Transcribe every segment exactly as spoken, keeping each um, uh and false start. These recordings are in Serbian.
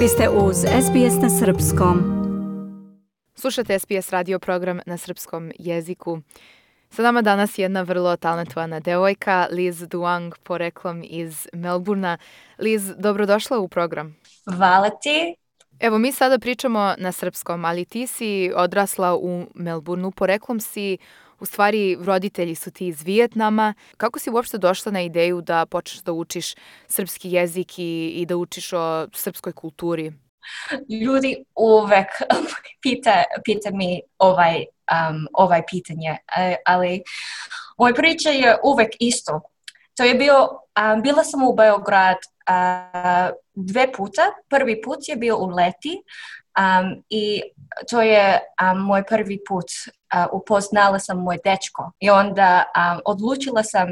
Vi ste uz S B S na srpskom. Slušate S B S radio program na srpskom jeziku. Sa nama danas je jedna vrlo talentovana devojka, Liz Duang, poreklom iz Melburna. Liz, dobrodošla u program. Hvala ti. Evo, mi sada pričamo na srpskom, ali ti si odrasla u Melburnu, poreklom si, u stvari roditelji su ti iz Vijetnama. Kako si uopšte došla na ideju da počneš da učiš srpski jezik i, i da učiš o srpskoj kulturi? Ljudi uvek pita, pita mi ovaj, um, ovaj pitanje, ali moja priča je uvek isto. To je bio, um, bila sam u Beograd uh, dve puta. Prvi put je bio u leti um, i to je um, moj prvi put. Uh, upoznala sam moj dečko i onda um, odlučila sam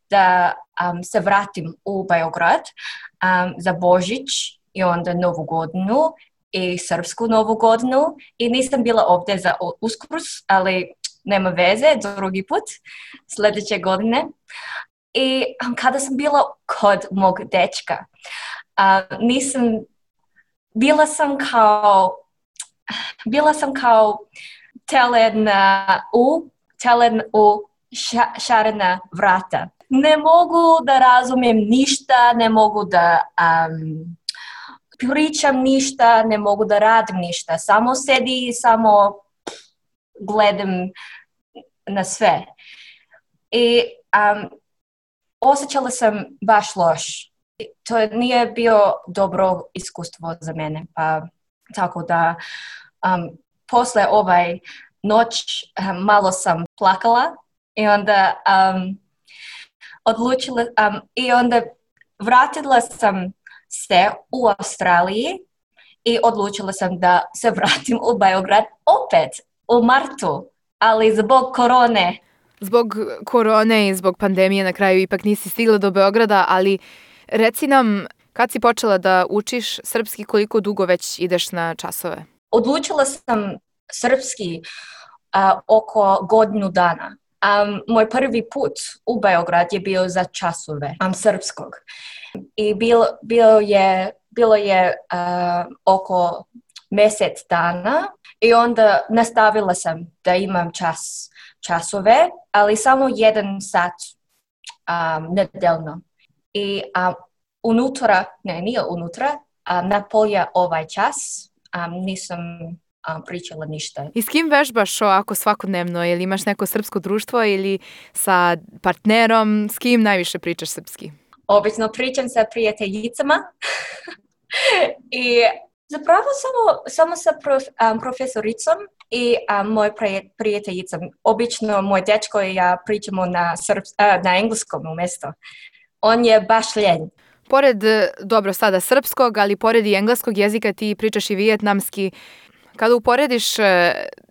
da um, se vratim u Beograd um, za Božić i onda Novu godinu i srpsku Novu godinu i nisam bila ovdje za Uskrs, ali nema veze, drugi put, sljedeće godine. I um, kada sam bila kod mog dečka, uh, nisam, bila sam kao, bila sam kao telen u, telen u ša, šarena vrata. Ne mogu da razumijem ništa, ne mogu da um, pričam ništa, ne mogu da radim ništa. Samo sedi i samo gledam na sve. I um, osjećala sam baš loš. To nije bio dobro iskustvo za mene. Pa, tako da um, posle ovaj noć um, malo sam plakala i onda um, odlučila um, i onda vratila sam se u Australiji i odlučila sam da se vratim u Beograd opet u martu, ali zbog korone. Zbog korone i zbog pandemije na kraju ipak nisi stigla do Beograda, ali reci nam kad si počela da učiš srpski, koliko dugo već ideš na časove? Odlučila sam srpski uh, oko godinu dana. Um, moj prvi put u Beograd je bio za časove um, srpskog. I bilo, bilo je, bilo je uh, oko mjesec dana i onda nastavila sam da imam čas, časove, ali samo jedan sat um, nedeljno. I um, unutra, ne, nije unutra, um, na polja ovaj čas um, nisam um, pričala ništa. I s kim vežbaš ovako svakodnevno? Ili imaš neko srpsko društvo ili sa partnerom? S kim najviše pričaš srpski? Obično pričam sa prijateljicama i zapravo samo, samo sa prof, um, profesoricom i um, moj prijateljicom. Obično moj dečko i ja pričamo na, srps, uh, na engleskom umjesto. On je baš ljen. Pored, dobro sada srpskog, ali pored i engleskog jezika ti pričaš i vijetnamski. Kada uporediš uh,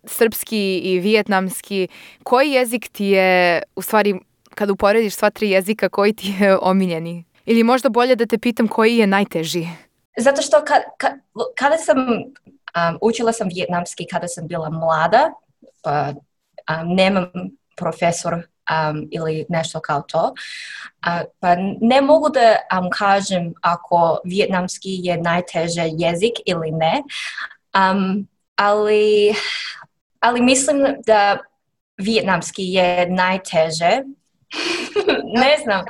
srpski i vijetnamski, koji jezik ti je, u stvari, kada uporediš sva tri jezika, koji ti je omiljeni? Ili možda bolje da te pitam koji je najteži? Zato što ka, ka, kada sam, um, učila sam vijetnamski kada sam bila mlada, pa um, nemam profesor um, ili nešto kao to, uh, pa ne mogu da um, kažem ako vijetnamski je najteži jezik ili ne, um, ali, ali mislim da vijetnamski je najteže. Ne znam.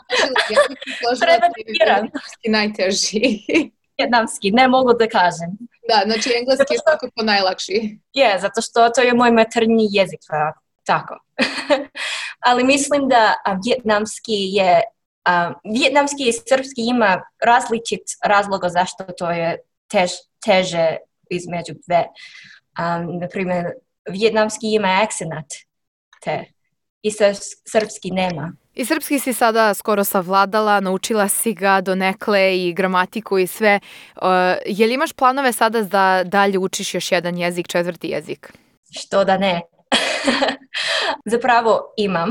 Treba da biram. Najteži. Vijetnamski, ne mogu da kažem. Da, znači engleski je svakako najlakši. Je, zato što to je moj maternji jezik, tako. Ali mislim da a, vijetnamski je, a, vijetnamski i srpski ima različit razloga zašto to je tež, teže između dve. Um, naprimjer, vijetnamski ima akcenat te i srpski nema. I srpski si sada skoro savladala, naučila si ga donekle i gramatiku i sve. Uh, je li imaš planove sada da dalje učiš još jedan jezik, četvrti jezik? Što da ne. Zapravo imam,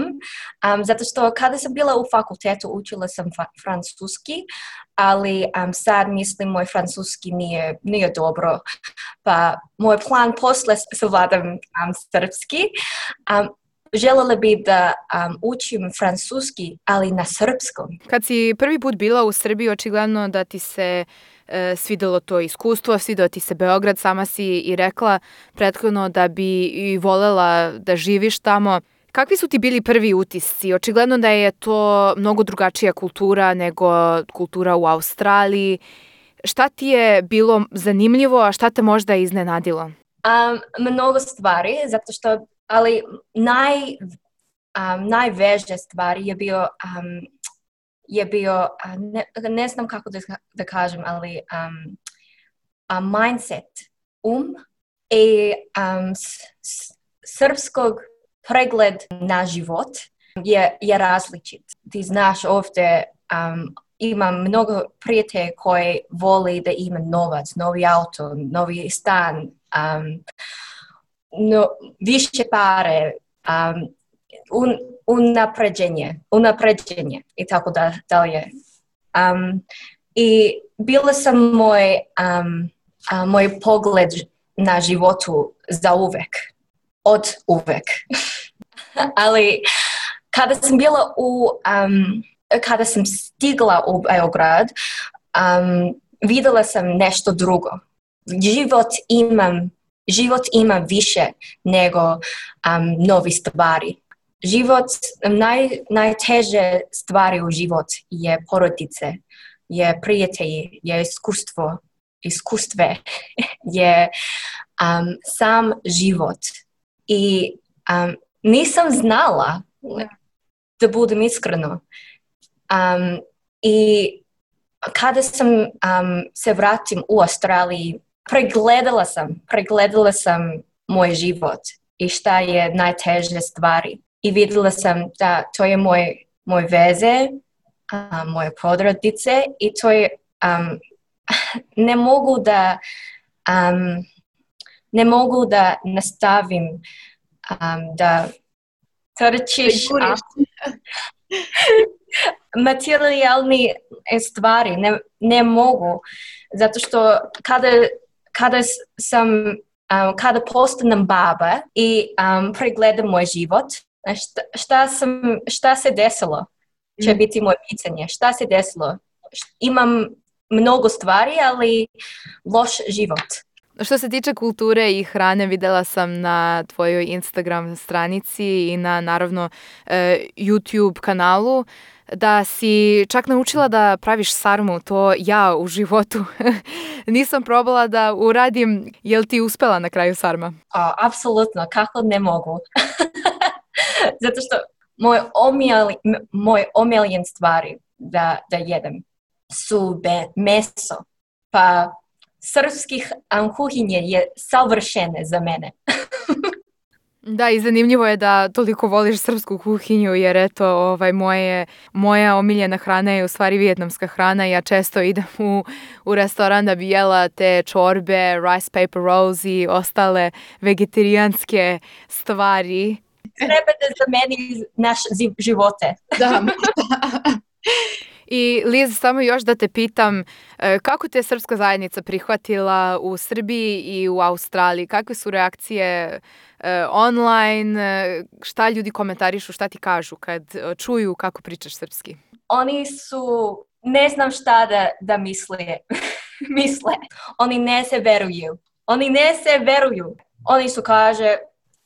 um, zato što kada sam bila u fakultetu učila sam fa- francuski, ali um, sad mislim moj francuski nije, nije dobro. Pa moj plan posle savladam um, srpski. Um, Željela bi da um, učim francuski, ali na srpskom. Kad si prvi put bila u Srbiji, očigledno da ti se e, svidelo to iskustvo, svideo ti se Beograd, sama si i rekla prethodno da bi i volela da živiš tamo. Kakvi su ti bili prvi utisci? Očigledno da je to mnogo drugačija kultura nego kultura u Australiji. Šta ti je bilo zanimljivo, a šta te možda iznenadilo? Um, mnogo stvari, zato što, ali naj, um, najveže stvari je bio, um, je bio ne, ne znam kako da, da kažem, ali um, a mindset, um i um, s, s, srpskog pregled na život je, je različit. Ti znaš ovdje, um, imam mnogo prijatelja koji voli da ima novac, novi auto, novi stan, um, no, više pare, um, un, unapređenje, unapređenje i tako da, dalje. Um, I bila sam moj, um, uh, moj pogled na životu za uvek, od uvek. Ali kada sam bila u, um, kada sam stigla u Beograd, um, vidjela sam nešto drugo. Život imam, život ima više nego um, novi stvari. Život, naj, najteže stvari u život je porodice, je prijatelji, je iskustvo, iskustve, je um, sam život. I um, nisam znala, da budem iskreno. Um, I kada sam um, se vratim u Australiji, pregledala sam, pregledala sam moj život i šta je najteže stvari. I vidjela sam da to je moj, moj veze, um, moje porodice i to je, um, ne mogu da, um, ne mogu da nastavim um, da trčiš materijalni stvari, ne, ne mogu, zato što kada, kada sam, um, kada postanem baba i um, pregledam moj život, šta, šta, sam, šta se desilo, će mm. biti moje pitanje, šta se desilo, imam mnogo stvari, ali loš život. Što se tiče kulture i hrane, videla sam na tvojoj Instagram stranici i na, naravno, YouTube kanalu da si čak naučila da praviš sarmu. To ja u životu nisam probala da uradim. Je li ti uspela na kraju sarma? O, apsolutno, kako ne mogu. Zato što moj, omijeli, moj omiljen stvari da, da jedem su be, meso, pa srpskih um, kuhinje je savršene za mene. Da, i zanimljivo je da toliko voliš srpsku kuhinju, jer eto, ovaj, moje, moja omiljena hrana je u stvari vijetnamska hrana. Ja često idem u, u restoran da bi jela te čorbe, rice paper rolls i ostale vegetarijanske stvari. Treba da zameni naš živote. Da. I Liz, samo još da te pitam, kako te je srpska zajednica prihvatila u Srbiji i u Australiji? Kakve su reakcije online? Šta ljudi komentarišu, šta ti kažu kad čuju kako pričaš srpski? Oni su, ne znam šta da, da misle. misle. Oni ne se veruju. Oni ne se veruju. Oni su kaže,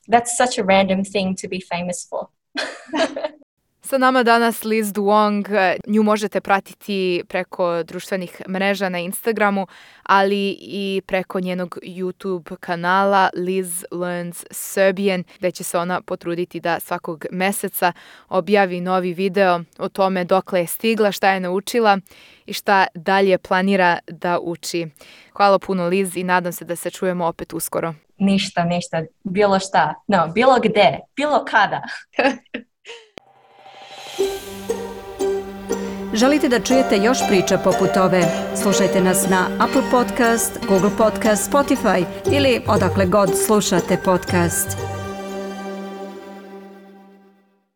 that's such a random thing to be famous for. Sa nama danas Liz Duong, nju možete pratiti preko društvenih mreža na Instagramu, ali i preko njenog YouTube kanala Liz Learns Serbian, gde će se ona potruditi da svakog meseca objavi novi video o tome dokle je stigla, šta je naučila i šta dalje planira da uči. Hvala puno Liz i nadam se da se čujemo opet uskoro. Ništa, ništa, bilo šta, no, bilo gde, bilo kada. Želite da čujete još priča poput ove? Slušajte nas na Apple Podcast, Google Podcast, Spotify ili odakle god slušate podcast.